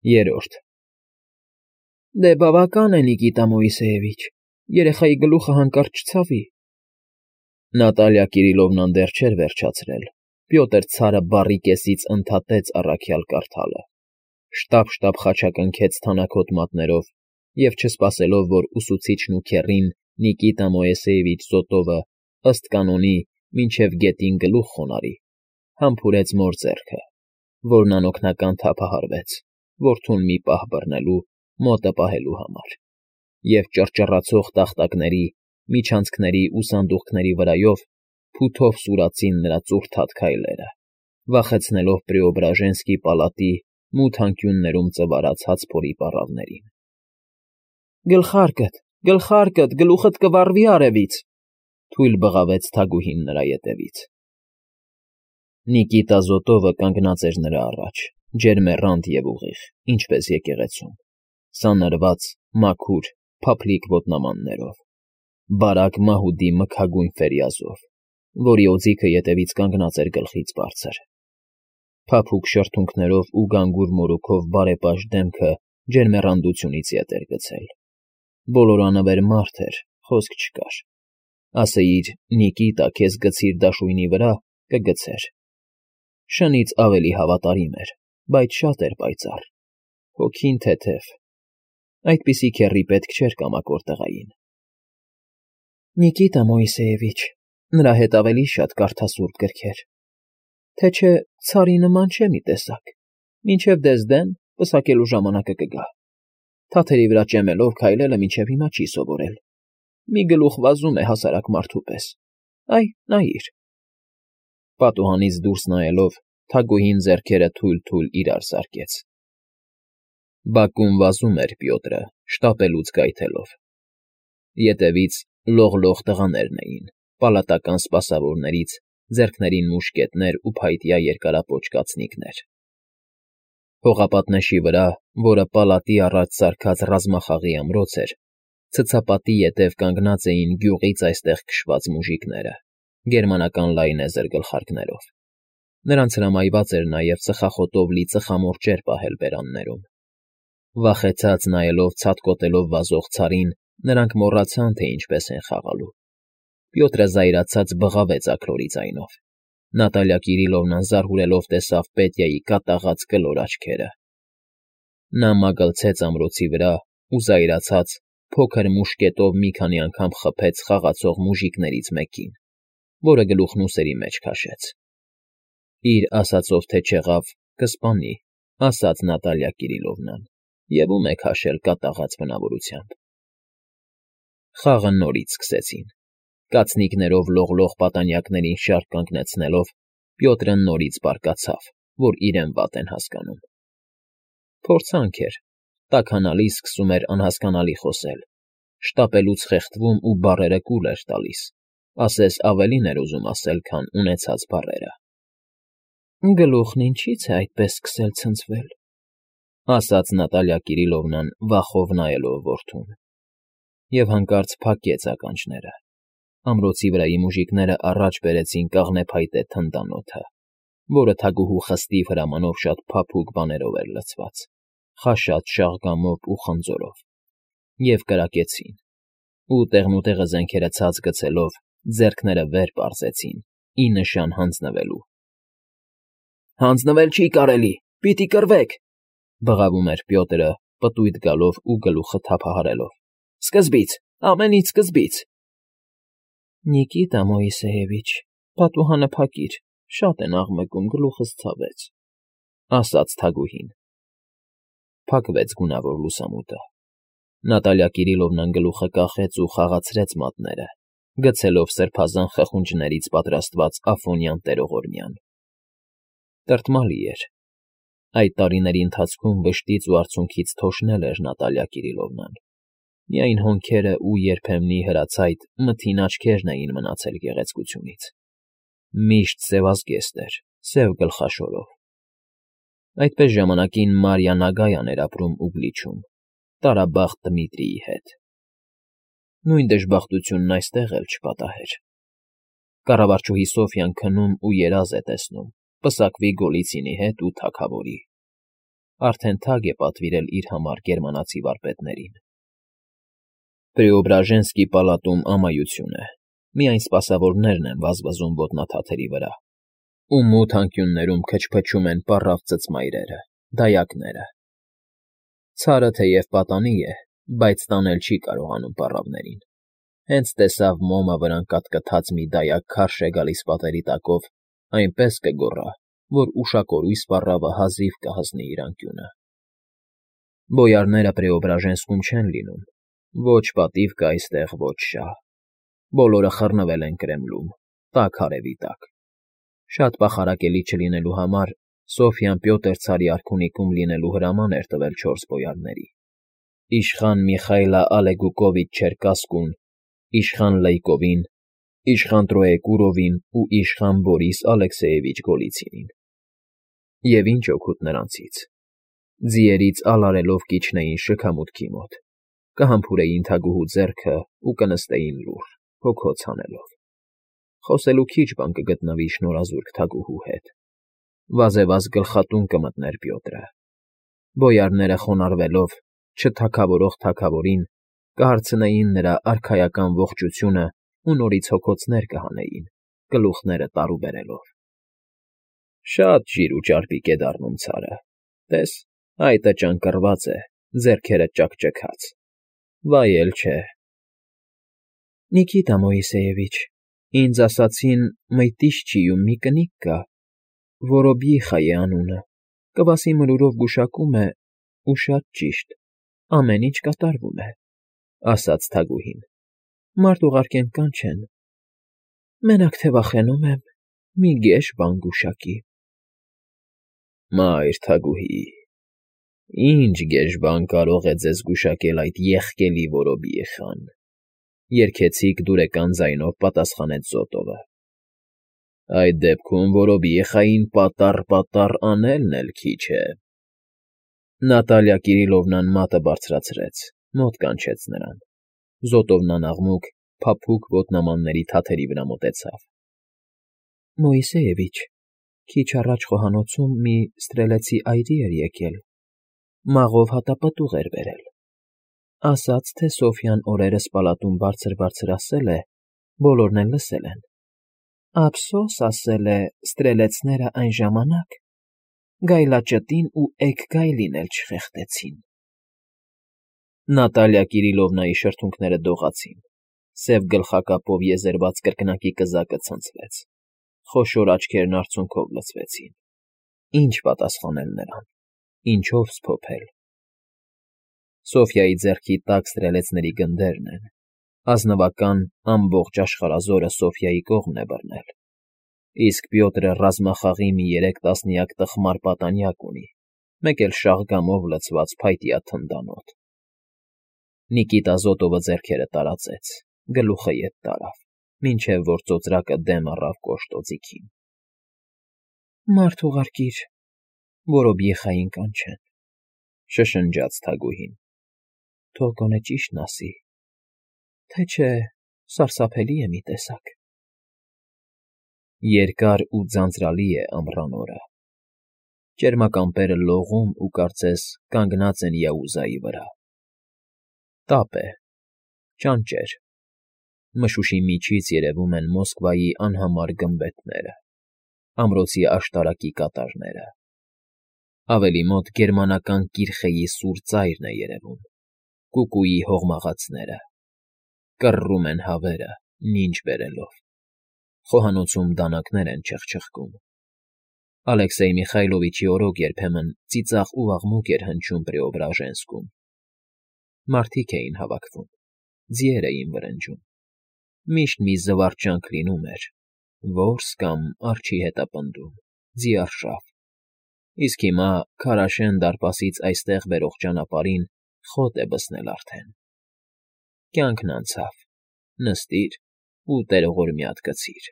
Երրորդ Դե բավական է, Նիկիտա Մոիսեևիչ, երեխայի գլուխը հանկարծ չցավի։ Նատալիա Կիրիլովնան դեռ չէր վերջացրել, Պյոտր ցարը բառի կեսից ընդհատեց առաքյալ կարդալը, շտապ խաչակնքեց թանաքոտ մատներով և, չսպասելով, որ ուսուցիչն ու քեռին Նիկիտա Մոիսեևիչ Զոտովը ըստ կանոնի մինչև գետին գլուխ խոնարհի, համբուրեց մոր ձեռքը, որն անօգնական թափահարվեց, որդուն մի պահ բռնելու, մոտը պահելու համար, և ճռճռացող տախտակների, միջանցքների ու սանդուղքների վրայով փութով սուրացին նրա ծուռթաթ քայլերը, վախեցնելով Պրեոբրաժենսկի պալատի մութ անկյուններում ծվարած հացփորի պառավներին։ Գլխարկդ, գլուխդ կվառվի արևից,֊ թույլ բղավեց թագուհին նրա ետևից։ Նիկիտա Զոտովը կանգնած էր նրա առաջ, ջերմեռանդ և ուղիղ, ինչպես եկեղեցում, սանրված, մաքուր, փափլիկ ոտնամաններով, բարակ մահուդի մքագույն ֆերյազով, որի օձիքը ետևից կանգնած էր գլխից բարձր։ Փափուկ շրթունքներով ու գանգուր մորուքով բարեպաշտ դեմքը ջերմեռանդությունից ետ էր գցել։ Բոլորանվեր մարդ էր, խոսք չկար։ Ասեիր Նիկիտա, քեզ գցիր դաշույնի վրա, կգցեր։ Շնից ավելի հավատարիմ էր, բայց շատ էր պայծառ, հոգին թեթև։ Այդպիսի քեռի պետք չէր կամակոր տղային։ Նիկիտա Մոիսեևիչ, նրա հետ ավելի շատ կարդա սուրբ գրքեր, թե չէ ցարի նման չէ մի տեսակ, մինչև դեսդեն պսակելու ժամանակը կգա։ Թաթերի վրա ճեմելով քայլելը մինչև հիմա չի սովորել։ Մի գլուխ վազում է հասարակ մարդու պես։ Այ, նայիր։ Պատուհանից դուրս նայելով, թագուհին ձեռքերը թույլ իրար սարկեց։ Բակում վազում էր Պյոտրը, շտապելուց գայթելով։ Ետևից լողլող տղաներն էին, պալատական սպասավորներից, ձեռքներին մուշկետներ ու փայտյա երկարապոչ կացնիկներ։ Հողապատնեշի վրա, որը պալատի առաջ սարքած ռազմախաղի ամրոց էր, ցցապատի ետև կանգնած էին գյուղից այստեղ քշված մուժիկները, գերմանական լայնեզր գլխարկներով։ Նրանց հրամայված էր նաև ծխախոտով լի ծխամորճեր պահել բերաններում։ Վախեցած նայելով ցատկոտելով վազող ցարին, նրանք մոռացան, թե ինչպես են խաղալու։ Պյոտրը զայրացած բղավեց աքլորի ձայնով։ Նատալիա Կիրիլովնան զարհուրելով տեսավ Պետյայի կատաղած կլոր աչքերը։ Նա մագլցեց ամրոցի վրա ու զայրացած փոքր մուշկետով մի քանի անգամ խփեց խաղացող մուժիկներից մեկին, որը գլուխն ուսերի մեջ քաշեց։ Իր ասածով թե չեղավ, կսպանի, ասաց Նատալիա Կիրիլովնան, և ում է քաշել կատաղած բնավորությամբ։ Խաղը նորից սկսեցին։ Կացնիկներով լողլող պատանյակներին շարք կանգնեցնելով, Պյոտրը նորից բարկացավ, որ իրեն վատ են հասկանում։ Փորձանք էր, տաքանալիս սկսում էր անհասկանալի խոսել, շտապելուց խեղդվում ու բառերը կուլ էր տալիս, ասես ավելին էր ուզում ասել, քան ունեցած բառերը։ Գլուխն ինչի՞ց է այդպես սկսել ցնցվել, ասաց Նատալիա Կիրիլովնան վախով նայելով որդուն։ Եվ հանկարծ փակեց ականջները։ Ամրոցի վրայի մուժիկները առաջ բերեցին կաղնեփայտե թնդանոթը, որը թագուհու խստիվ հրամանով շատ փափուկ բաներով էր լցված, խաշած շաղգամով ու խնձորով, և կրակեցին, ու տեղնուտեղը զենքերը ցած գցելով, ձեռքները վեր պարզեցին, ի նշան հանձնվելու։ Հանձնվել չի կարելի, պիտի կռվեք,֊ բղավում էր Պյոտրը, պտույտ գալով ու գլուխը թափահարելով։ Սկզբից, ամենից սկզբից։ Նիկիտա Մոիսեևիչ, պատուհանը փակիր, շատ են աղմկում, գլուխս ցավեց, ասաց թագուհին։ Փակվեց գունավոր լուսամուտը։ Նատալիա Կիրիլովնան գլուխը կախեց ու խաղացրեց մատները, գցելով սրբազան խխունջներից պատրաստված աֆոնյան տերողորմյան։ Տրտմալի էր։ Այդ տարիների ընթացքում վշտից ու արցունքից թոշնել էր Նատալիա Կիրիլովնան։ Միայն հոնքերը ու երբեմնի հրացայտ մթին աչքերն էին մնացել գեղեցկությունից։ Միշտ սևազգեստ էր, սև գլխաշորով։ Այդպես ժամանակին Մարիա Նագայան էր ապրում Ուգլիչում, տարաբախտ Դմիտրիի հետ։ Նույն դժբախտությունն այստեղ էլ չպատահեր։ Կառավարչուհի Սոֆյան քնում ու երազ է տեսնում, պսակվի Գոլիցինի հետ ու թագավորի։ Արդեն թագ է պատվիրել իր համար գերմանացի վարպետներին։ Պրեոբրաժենսկի պալատում ամայություն է, միայն սպասավորներն են վազվզում ոտնաթաթերի վրա, ու մութ անկյուններում քչփչում են պառավ ծծմայրերը, դայակները։ Ցարը թեև պատանի է, բայց տանել չի կարողանում պառավներին։ Հենց տեսավ մոմը վրան կատկթած մի դայակ քարշ է գալիս պատերի տակով, այնպես կգոռա, որ ուշակորույս պառավը հազիվ կհասնի իր անկյունը։ Բոյարները Պրեոբրաժենսկում չեն լինում, ոչ պատիվ կա այստեղ, ոչ շահ։ Բոլորը խռնվել են Կրեմլում, տաք արևի տակ։ Շատ պախարակելի չլինելու համար Սոֆյան Պյոտր ցարի արքունիքում լինելու հրաման էր տվել 4 բոյարների. իշխան Միխայլը Ալեգուկովիչ Չերկասկուն, իշխան Լեյկովին, իշխան Տրոեկուրովին ու իշխան Բորիս Ալեքսեևիչ Գոլիցինին։ Եվ ինչ օգուտ նրանցից։ Ձիերից ալարելով կիջնեին շքամուտքի մոտ, կհամբուրեին թագուհու ձեռքը ու կնստեին լուռ, հոգոց հանելով։ Խոսելու քիչ բան կգտնվի շնորհազուրկ թագուհու հետ։ Վազեվազ գլխատուն կմտներ Պյոտրը։ Բոյարները խոնարհվելով, չթագավորող թագավորին, կհարցնեին նրա արքայական ողջությունը ու նորից հոգոցներ կհանեին, գլուխները տարուբերելով։ Շատ ջիր ու ճարպիկ է դառնում ցարը։ Տես, այտը ճանկռված է, ձեռքերը ճաքճքած։ Վայել չէ։ Նիկիտա Մոիսեևիչ, ինձ ասացին Մյտիշչիում մի կնիկ կա, Որոբիխա է անունը, կվասի մրուրով գուշակում է ու շատ ճիշտ, ամեն ինչ կատարվում է, ասաց թագուհին։ Մարդ ուղարկեն կանչեն։ Մենակ թե վախենում եմ, մի գեշ բան գուշակի։ Մայր թագուհի, ինչ գեշ բան կարող է ձեզ գուշակել այդ եղկելի Որոբիխան, երգեցիկ դուրեկան ձայնով պատասխանեց Զոտովը։ Այդ դեպքում Որոբիխային պատառ անելն էլ քիչ է։ Նատալիա Կիրիլովնան մատը բարձրացրեց, մոտ կանչեց նրան։ Զոտովն անաղմուկ, փափուկ ոտնամանների թաթերի վրա մոտեցավ։ Մոիսեևիչ, քիչ առաջ խոհանոցում մի ստրելեցի այրի էր եկել, մաղով հատապտուղ էր բերել։ Ասաց, թե Սոֆյան օրերս պալատում բարձր ասել է, բոլորն էլ լսել են։ Ափսոս ասել է, ստրելեցները այն ժամանակ գայլաճտին ու էգգայլին էլ չխեղդեցին։ Նատալիա Կիրիլովնայի շրթունքները դողացին, սև գլխակապով եզերված կրկնակի կզակը ցնցվեց, խոշոր աչքերն արցունքով լցվեցին։ Ինչ պատասխանել նրան, ինչով սփոփել։ Սոֆյայի ձեռքի տակ ստրելեցների գնդերն են, ազնվական ամբողջ աշխարհազորը Սոֆյայի կողմն է բռնել, իսկ Պյոտրը ռազմախաղի մի 3 տասնյակ տխմար պատանյակ ունի, մեկ էլ շաղգամով լցված փայտյա թնդանոթ։ Նիկիտա Զոտովը ձեռքերը տարածեց, գլուխը ետ տարավ, մինչև որ ծոծրակը դեմ առավ կոշտ օձիքին։ Մարդ ուղարկիր, Որոբիխային կանչեն, շշնջաց թագուհին։ Թող գոնե ճիշտն ասի, թե չէ սարսափելի է մի տեսակ։ Երկար ու ձանձրալի է ամռան օրը։ Ճերմակամպերը լողում ու կարծես կանգնած են Յաուզայի վրա։ Տապ է, ճանճեր։ Մշուշի միջից երևում են Մոսկվայի անհամար գմբեթները, ամրոցի աշտարակի կատարները։ Ավելի մոտ գերմանական կիրխեի սուր ծայրն է երևում, կուկուի հողմաղացները։ Կռռում են հավերը, նինջ բերելով։ Խոհանոցում դանակներ են չխչխկում։ Ալեքսեյ Միխայլովիչի օրոք երբեմն ծիծաղ ու աղմուկ էր հնչում Պրեոբրաժենսկում։ Մարդիկ էին հավաքվում, ձիեր էին վրնջում։ Միշտ մի զվարճանք լինում էր, որս կամ արջի հետապնդում, ձիարշավ։ Իսկ հիմա Քարաշեն դարպասից այստեղ բերող ճանապարհին խոտ է բսնել արդեն։ Կյանքն անցավ, նստիր ու տերողորմյա գցիր։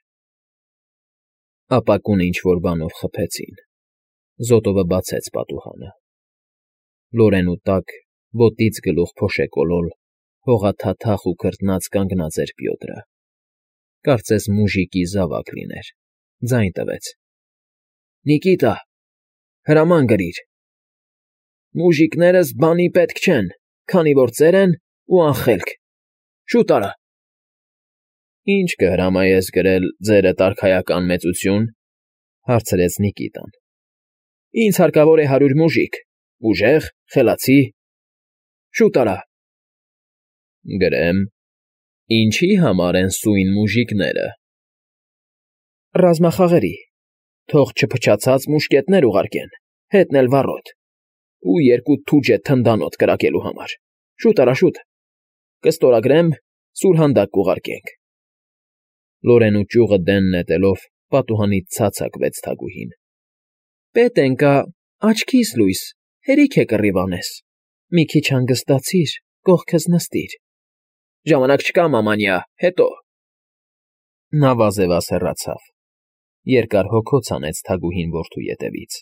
Ապակուն ինչ-որ բանով խփեցին։ Զոտովը բացեց պատուհանը։ Լորենու տակ, ոտից գլուխ փոշեկոլոլ, հողաթաթախ ու քրտնած կանգնած էր Պյոտրը։ Կարծես մուժիկի զավակ լիներ, ձայն տվեց. Նիկիտա, հրաման գրիր։ Մուժիկներս բանի պետք չեն, քանի որ ծեր են ու անխելք։ Շուտ արա։ Ի՞նչ կհրամայես գրել ձերդ արքայական մեծություն,֊ հարցրեց Նիկիտան։ Ինձ հարկավոր է 100 մուժիկ, ուժեղ, խելացի։ Շուտ արա։ Գրեմ. ինչի համար են սույն մուժիկները։ Ռազմախաղերի, թող չփչացած մուշկետներ ուղարկեն, հետն էլ վառոդ, ու 2 թուջետ թնդանոթ կրակելու համար։ Շուտ արա, շուտ։ Կստորագրեմ, սուրհանդակ կուղարկենք։ Լորենու ճյուղը դեն նետելով պատուհանից ցած հագվեց թագուհին։ Պետ ենկա, աչքիս լույս, հերիք է կռիվ անես։ Մի քիչ հանգստացիր, կողքս նստիր։ Ժամանակ չկա, մամանյա, հետո։ Նա վազևազ հեռացավ։ Երկար հոգոց հանեց թագուհին որդու ետևից։